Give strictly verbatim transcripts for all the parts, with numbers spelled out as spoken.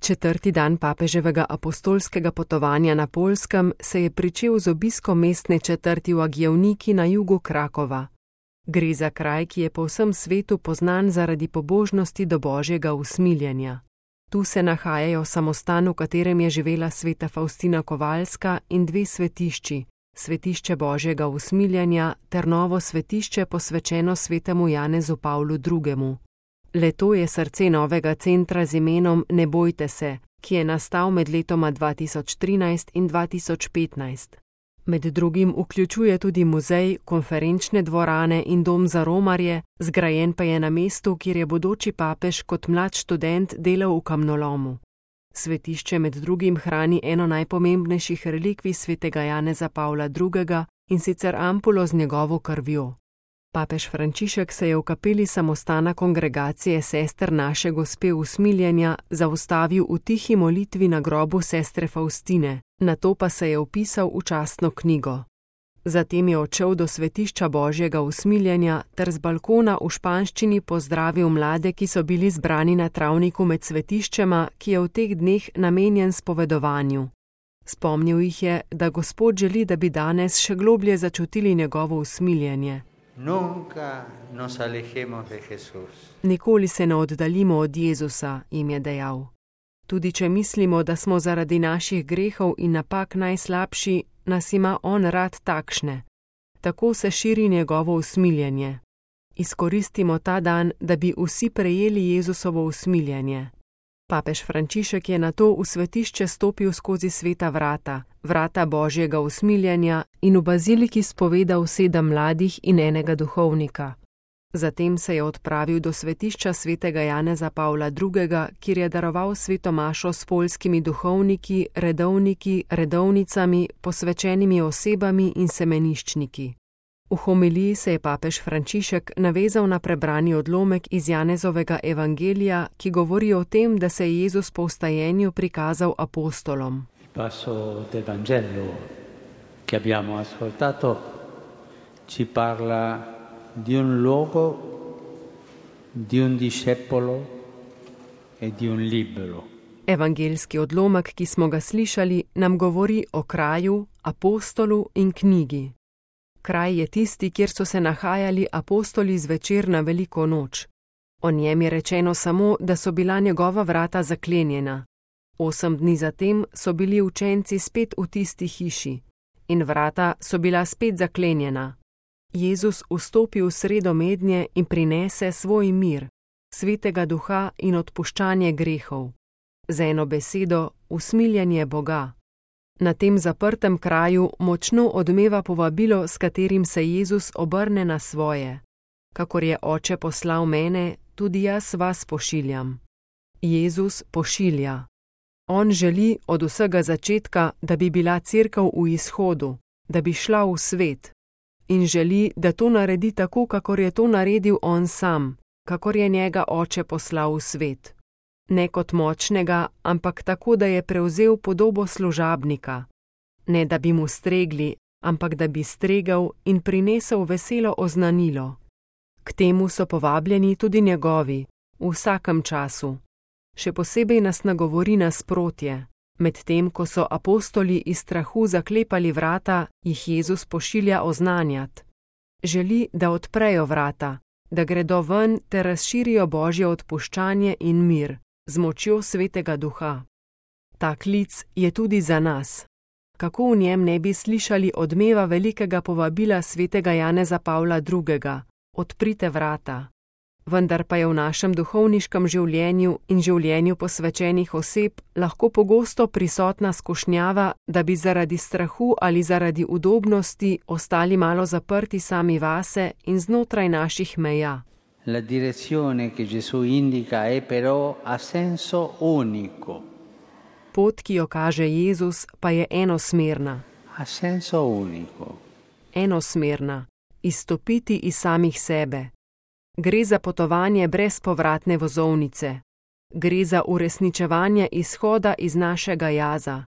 Četrti dan papeževega apostolskega potovanja na Poljskem se je pričel z obiskom mestne četrti v Agjevniki na jugu Krakova. Gre za kraj, ki je po vsem svetu poznan zaradi pobožnosti do Božjega usmiljenja. Tu se nahajajo samostan, v katerem je živela sveta Faustina Kovalska, in dve svetišči, svetišče Božjega usmiljenja ter novo svetišče posvečeno svetemu Janezu Pavlu drugemu. Le to je srce novega centra z imenom Ne bojte se, ki je nastal med letoma dva tisoč trinajst in dva tisoč petnajst. Med drugim vključuje tudi muzej, konferenčne dvorane in dom za romarje, zgrajen pa je na mestu, kjer je bodoči papež kot mlad študent delal v kamnolomu. Svetišče med drugim hrani eno najpomembnejših relikvij svetega Janeza Pavla drugega, in sicer ampulo z njegovo krvjo. Papež Frančišek se je v kapeli samostana kongregacije sester Naše Gospe usmiljenja zaustavil v tihi molitvi na grobu sestre Faustine, nato pa se je vpisal v častno knjigo. Zatem je odšel do svetišča Božjega usmiljenja ter z balkona v španščini pozdravil mlade, ki so bili zbrani na travniku med svetiščema, ki je v teh dneh namenjen spovedovanju. Spomnil jih je, da Gospod želi, da bi danes še globlje začutili njegovo usmiljenje. Nunca nos alejemos de Jesús. Nikoli se ne oddaljimo od Jezusa, jim je dejal. Tudi če mislimo, da smo zaradi naših grehov in napak najslabši, nas ima on rad takšne. Tako se širi njegovo usmiljenje. Izkoristimo ta dan, da bi vsi prejeli Jezusovo usmiljenje. Papež Frančišek je nato v svetišče stopil skozi sveta vrata, vrata Božjega usmiljenja, in v baziliki spovedal sedem mladih in enega duhovnika. Zatem se je odpravil do svetišča svetega Janeza Pavla drugega, kjer je daroval sveto mašo s poljskimi duhovniki, redovniki, redovnicami, posvečenimi osebami in semeniščniki. V homiliji se je papež Frančišek navezal na prebrani odlomek iz Janezovega evangelija, ki govori o tem, da se je Jezus po vstajenju prikazal apostolom. Passo del Vangelo che abbiamo ascoltato ci parla di un luogo, di un discepolo e di un libro. Evangeljski odlomek, ki smo ga slišali, nam govori o kraju, apostolu in knjigi. Kraj je tisti, kjer so se nahajali apostoli zvečer na veliko noč. O njem je rečeno samo, da so bila njegova vrata zaklenjena. Osem dni zatem so bili učenci spet v tisti hiši in vrata so bila spet zaklenjena. Jezus vstopi v sredo mednje in prinese svoj mir, svetega duha in odpuščanje grehov. Z eno besedo, usmiljenje Boga. Na tem zaprtem kraju močno odmeva povabilo, s katerim se Jezus obrne na svoje. Kakor je Oče poslal mene, tudi jaz vas pošiljam. Jezus pošilja. On želi od vsega začetka, da bi bila cerkev v izhodu, da bi šla v svet. In želi, da to naredi tako, kakor je to naredil on sam, kakor je njega Oče poslal v svet. Ne kot močnega, ampak tako, da je prevzel podobo služabnika. Ne da bi mu stregli, ampak da bi stregel in prinesel veselo oznanilo. K temu so povabljeni tudi njegovi, v vsakem času. Še posebej nas nagovori nasprotje. Medtem ko so apostoli iz strahu zaklepali vrata, jih Jezus pošilja oznanjat. Želi, da odprejo vrata, da gredo ven ter razširijo Božje odpuščanje in mir z močjo svetega duha. Ta klic je tudi za nas. Kako v njem ne bi slišali odmeva velikega povabila svetega Janeza Pavla drugega, odprite vrata. Vendar pa je v našem duhovniškem življenju in življenju posvečenih oseb lahko pogosto prisotna skušnjava, da bi zaradi strahu ali zaradi udobnosti ostali malo zaprti sami vase in znotraj naših meja. La direzione che Gesù indica è però a senso unico. Pot, ki jo kaže Jezus, pa je enosmerna. A senso unico. Enosmerna. Izstopiti iz samih sebe. Gre za potovanje brez povratne vozovnice. Gre za uresničevanje izhoda iz našega jaza.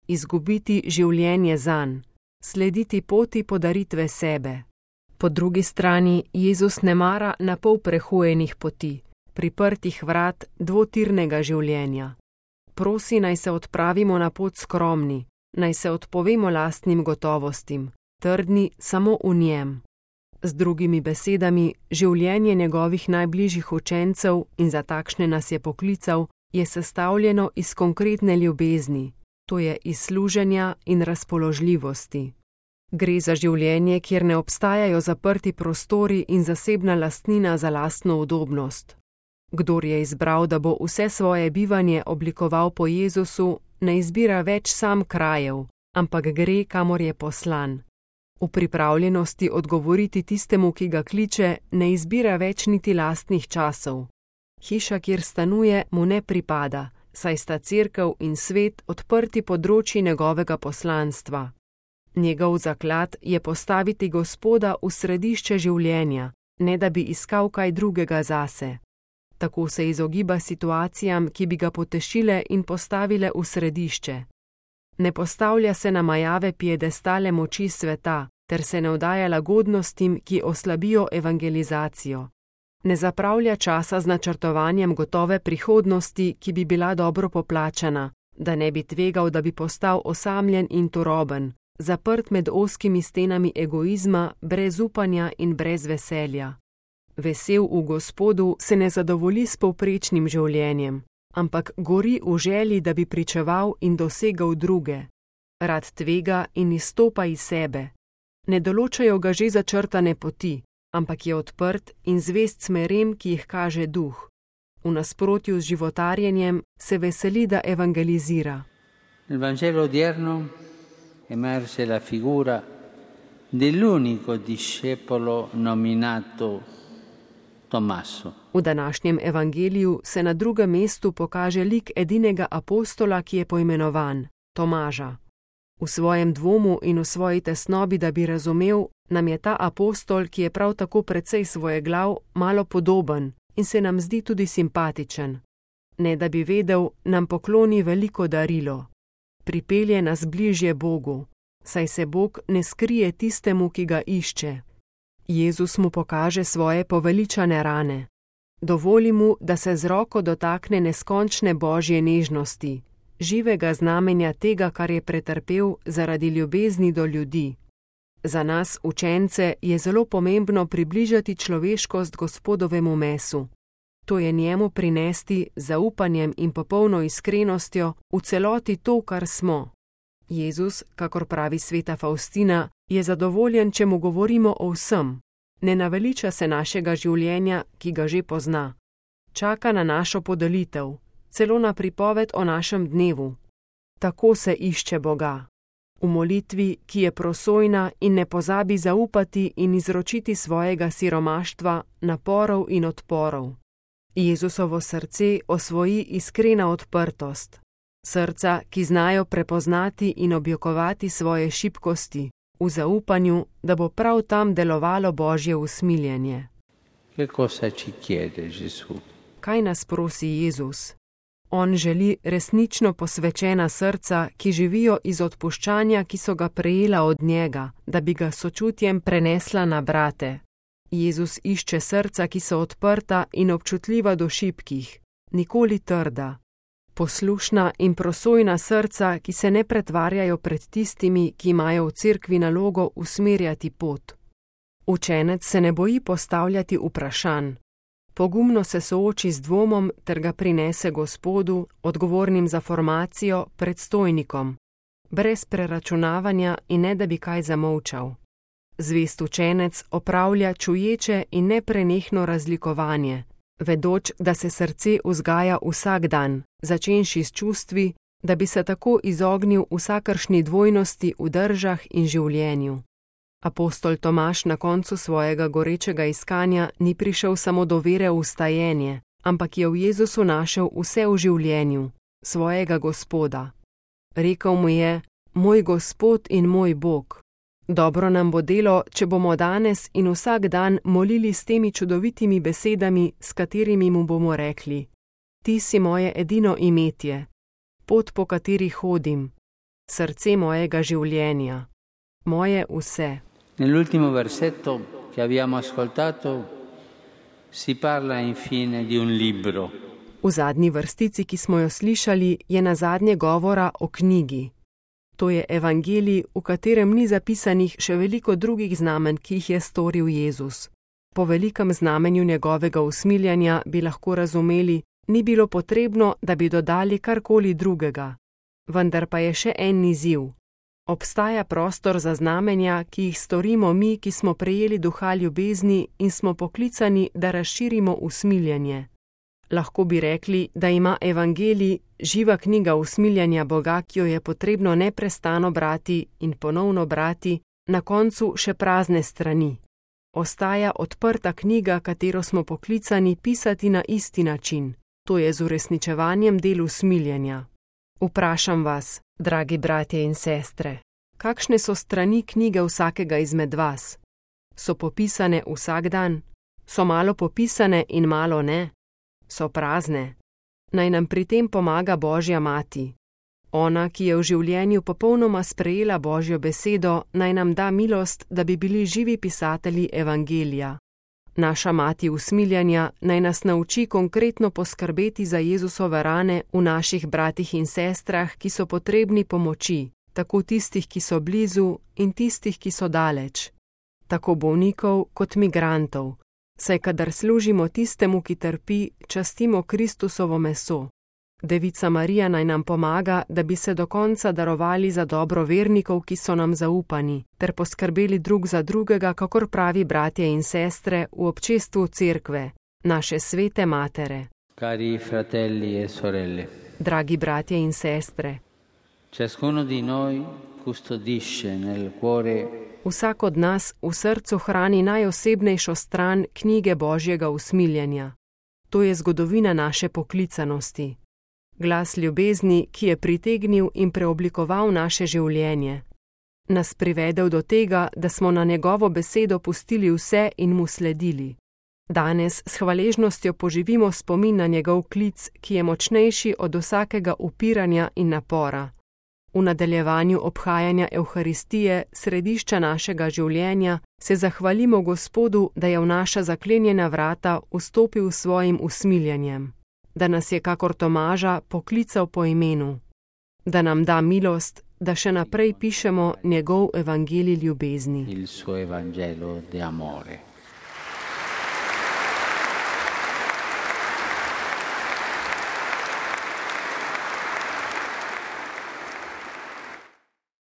Izgubiti življenje zanj. Slediti poti podaritve sebe. Po drugi strani Jezus ne mara na pol prehojenih poti, priprtih vrat dvotirnega življenja. prosi, naj se odpravimo na pot skromni, naj se odpovemo lastnim gotovostim, trdni samo v njem. Z drugimi besedami, življenje njegovih najbližjih učencev, in za takšne nas je poklical, je sestavljeno iz konkretne ljubezni, to je iz služenja in razpoložljivosti. Gre za življenje, kjer ne obstajajo zaprti prostori in zasebna lastnina za lastno udobnost. Kdor je izbral, da bo vse svoje bivanje oblikoval po Jezusu, ne izbira več sam krajev, ampak gre, kamor je poslan. V pripravljenosti odgovoriti tistemu, ki ga kliče, ne izbira več niti lastnih časov. Hiša, kjer stanuje, mu ne pripada, saj sta cerkev in svet odprti področji njegovega poslanstva. Njegov zaklad je postaviti Gospoda v središče življenja, ne da bi iskal kaj drugega zase. Tako se izogiba situacijam, ki bi ga potešile in postavile v središče. Ne postavlja se na majave piedestale moči sveta, ter se ne vdaja lagodnostim, ki oslabijo evangelizacijo. Ne zapravlja časa z načrtovanjem gotove prihodnosti, ki bi bila dobro poplačana, da ne bi tvegal, da bi postal osamljen in turoben, zaprt med ozkimi stenami egoizma, brez upanja in brez veselja. Vesel v Gospodu se ne zadovolji s povprečnim življenjem, ampak gori v želji, da bi pričeval in dosegal druge. Rad tvega in izstopa iz sebe. Ne določajo ga že začrtane poti, ampak je odprt in zvest smerem, ki jih kaže duh. V nasprotju z životarjenjem se veseli, da evangelizira. Nel Vangelo odierno emerge la figura dell'unico discepolo nominato Tommaso. V današnjem evangeliju se na drugem mestu pokaže lik edinega apostola, ki je poimenovan Tomaža. V svojem dvomu in v svoji tesnobi, da bi razumel, nam je ta apostol, ki je prav tako precej svojeglav, malo podoben in se nam zdi tudi simpatičen. Ne da bi vedel, nam pokloni veliko darilo. Pripelje nas bližje Bogu, saj se Bog ne skrije tistemu, ki ga išče. Jezus mu pokaže svoje poveličane rane. Dovoli mu, da se z roko dotakne neskončne božje nežnosti, živega znamenja tega, kar je pretrpel zaradi ljubezni do ljudi. Za nas, učence, je zelo pomembno približati človeškost Gospodovemu mesu. To je njemu prinesti z zaupanjem in popolno iskrenostjo v celoti to, kar smo. Jezus, kakor pravi sveta Faustina, je zadovoljen, če mu govorimo o vsem. Ne naveliča se našega življenja, ki ga že pozna. Čaka na našo podelitev, celo na pripoved o našem dnevu. Tako se išče Boga. V molitvi, ki je prosojna in ne pozabi zaupati in izročiti svojega siromaštva, naporov in odporov. Jezusovo srce osvoji iskrena odprtost. Srca, ki znajo prepoznati in objokovati svoje šibkosti, v zaupanju, da bo prav tam delovalo Božje usmiljenje. Kaj nas prosi Jezus? On želi resnično posvečena srca, ki živijo iz odpuščanja, ki so ga prejela od njega, da bi ga sočutjem prenesla na brate. Jezus išče srca, ki so odprta in občutljiva do šibkih, nikoli trda. Poslušna in prosojna srca, ki se ne pretvarjajo pred tistimi, ki imajo v cerkvi nalogo usmerjati pot. Učenec se ne boji postavljati vprašanj. Pogumno se sooči z dvomom ter ga prinese Gospodu, odgovornim za formacijo, predstojnikom, brez preračunavanja in ne da bi kaj zamolčal. Zvest učenec opravlja čuječe in neprenehno razlikovanje, vedoč, da se srce vzgaja vsak dan, začenši s čustvi, da bi se tako izognil vsakršni dvojnosti v držah in življenju. Apostol Tomaž na koncu svojega gorečega iskanja ni prišel samo do vere v stajenje, ampak je v Jezusu našel vse v življenju, svojega Gospoda. Rekel mu je: Moj Gospod in moj Bog. Dobro nam bo delo, če bomo danes in vsak dan molili s temi čudovitimi besedami, s katerimi mu bomo rekli: Ti si moje edino imetje, pot, po kateri hodim, srce mojega življenja, moje vse. Nell'ultimo versetto che abbiamo ascoltato si parla infine di un libro. V zadnji vrstici, ki smo jo slišali, je nazadnje govora o knjigi. To je evangelij, v katerem ni zapisanih še veliko drugih znamenj, ki jih je storil Jezus. Po velikem znamenju njegovega usmiljanja bi lahko razumeli, ni bilo potrebno, da bi dodali karkoli drugega. Vendar pa je še en izziv. Obstaja prostor za znamenja, ki jih storimo mi, ki smo prejeli duha ljubezni in smo poklicani, da razširimo usmiljenje. Lahko bi rekli, da ima evangelij, živa knjiga usmiljanja Boga, ki jo je potrebno neprestano brati in ponovno brati, na koncu še prazne strani. Ostaja odprta knjiga, katero smo poklicani pisati na isti način, to je z uresničevanjem del usmiljenja. Vprašam vas, dragi bratje in sestre, kakšne so strani knjige vsakega izmed vas? So popisane vsak dan? So malo popisane in malo ne? So prazne? Naj nam pri tem pomaga Božja mati. Ona, ki je v življenju popolnoma sprejela Božjo besedo, naj nam da milost, da bi bili živi pisatelji evangelija. Naša mati usmiljanja naj nas nauči konkretno poskrbeti za Jezusove rane v naših bratih in sestrah, ki so potrebni pomoči, tako tistih, ki so blizu in tistih, ki so daleč. Tako bolnikov kot migrantov, saj kadar služimo tistemu, ki trpi, častimo Kristusovo meso. Devica Marija naj nam pomaga, da bi se do konca darovali za dobro vernikov, ki so nam zaupani, ter poskrbeli drug za drugega, kakor pravi bratje in sestre v občestvu cerkve, naše svete matere. Cari fratelli e sorelle. Dragi bratje in sestre. Ciascuno di noi custodisce nel cuore. Vsak od nas v srcu hrani najosebnejšo stran knjige Božjega usmiljenja. To je zgodovina naše poklicanosti. Glas ljubezni, ki je pritegnil in preoblikoval naše življenje. Nas privedel do tega, da smo na njegovo besedo pustili vse in mu sledili. Danes s hvaležnostjo poživimo spomin na njegov klic, ki je močnejši od vsakega upiranja in napora. V nadaljevanju obhajanja Evharistije, središča našega življenja, se zahvalimo Gospodu, da je v naša zaklenjena vrata vstopil s svojim usmiljenjem. Da nas je kakor Tomaža poklical po imenu, da nam da milost, da še naprej pišemo njegov evangelij ljubezni. Il suo evangelo di amore.